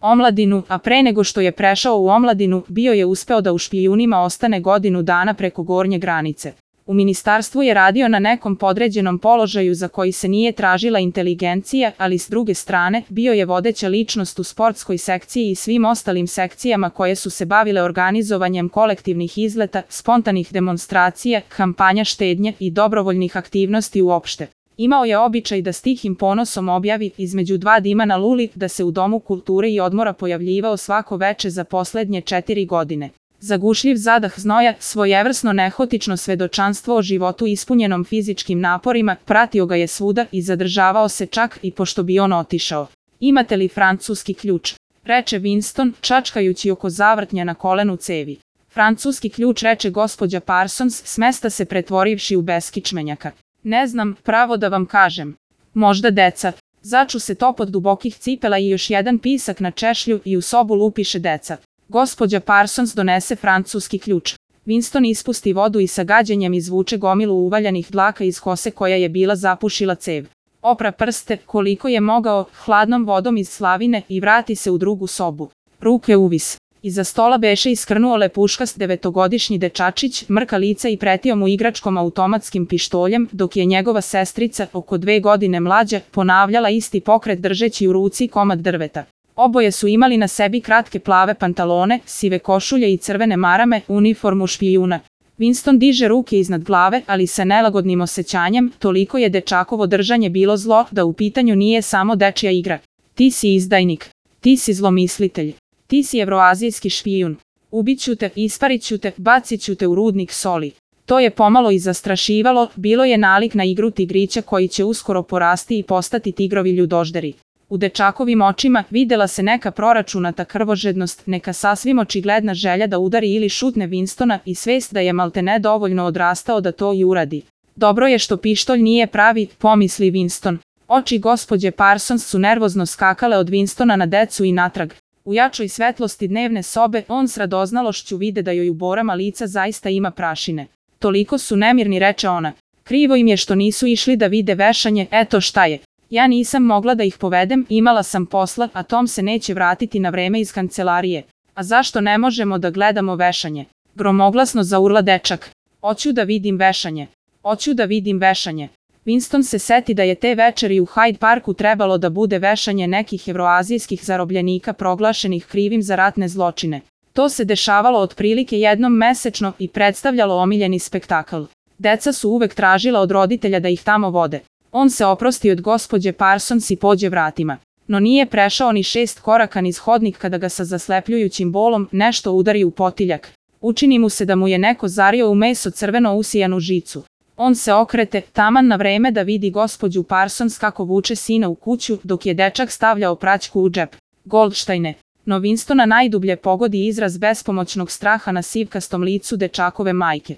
omladinu, a pre nego što je prešao u omladinu, bio je uspeo da u špijunima ostane godinu dana preko gornje granice. U ministarstvu je radio na nekom podređenom položaju za koji se nije tražila inteligencija, ali s druge strane, bio je vodeća ličnost u sportskoj sekciji i svim ostalim sekcijama koje su se bavile organizovanjem kolektivnih izleta, spontanih demonstracija, kampanja štednje i dobrovoljnih aktivnosti uopšte. Imao je običaj da s tihim ponosom objavi, između dva dima na luli, da se u Domu kulture i odmora pojavljivao svako veče za poslednje 4 godine. Zagušljiv zadah znoja, svojevrsno nehotično svedočanstvo o životu ispunjenom fizičkim naporima, pratio ga je svuda i zadržavao se čak i pošto bi on otišao. Imate li francuski ključ? Reče Winston, čačkajući oko zavrtnja na kolenu cevi. Francuski ključ, reče gospođa Parsons, s mesta se pretvorivši u beskičmenjaka. Ne znam, pravo da vam kažem. Možda deca. Začu se topot dubokih cipela i još jedan pisak na češlju i u sobu lupiše deca. Gospođa Parsons donese francuski ključ. Winston ispusti vodu i sa gađenjem izvuče gomilu uvaljanih dlaka iz kose koja je bila zapušila cev. Opra prste, koliko je mogao, hladnom vodom iz slavine i vrati se u drugu sobu. Ruke uvis. Iza stola beše iskrnuo lepuškast 9-godišnji dečačić, mrka lica i pretio mu igračkom automatskim pištoljem, dok je njegova sestrica, oko 2 godine mlađa, ponavljala isti pokret držeći u ruci komad drveta. Oboje su imali na sebi kratke plave pantalone, sive košulje i crvene marame, uniformu špijuna. Winston diže ruke iznad glave, ali sa nelagodnim osjećanjem, toliko je dečakovo držanje bilo zlo, da u pitanju nije samo dečija igra. Ti si izdajnik. Ti si zlomislitelj. Ti si evroazijski špijun. Ubiću te, ispariću te, baciću te u rudnik soli. To je pomalo i zastrašivalo, bilo je nalik na igru tigrića koji će uskoro porasti i postati tigrovi ljudožderi. U dečakovim očima videla se neka proračunata krvožednost, neka sasvim očigledna želja da udari ili šutne Winstona i svest da je maltene dovoljno odrastao da to i uradi. Dobro je što pištolj nije pravi, pomisli Winston. Oči gospođe Parsons su nervozno skakale od Winstona na decu i natrag. U jačoj svetlosti dnevne sobe, on s radoznalošću vide da joj u borama lica zaista ima prašine. Toliko su nemirni, reče ona. Krivo im je što nisu išli da vide vešanje, eto šta je. Ja nisam mogla da ih povedem, imala sam posla, a Tom se neće vratiti na vreme iz kancelarije. A zašto ne možemo da gledamo vešanje? Gromoglasno zaurla dečak. Hoću da vidim vešanje. Hoću da vidim vešanje. Winston se seti da je te večeri u Hyde Parku trebalo da bude vešanje nekih evroazijskih zarobljenika proglašenih krivim za ratne zločine. To se dešavalo otprilike jednom mesečno i predstavljalo omiljeni spektakl. Deca su uvek tražila od roditelja da ih tamo vode. On se oprosti od gospođe Parsons i pođe vratima. No nije prešao ni 6 koraka niz hodnik kada ga sa zaslepljujućim bolom nešto udari u potiljak. Učini mu se da mu je neko zario u meso crveno usijanu žicu. On se okrete, taman na vreme da vidi gospođu Parsons kako vuče sina u kuću, dok je dečak stavljao praćku u džep. Goldštajne. No Winstona najdublje pogodi izraz bespomoćnog straha na sivkastom licu dečakove majke.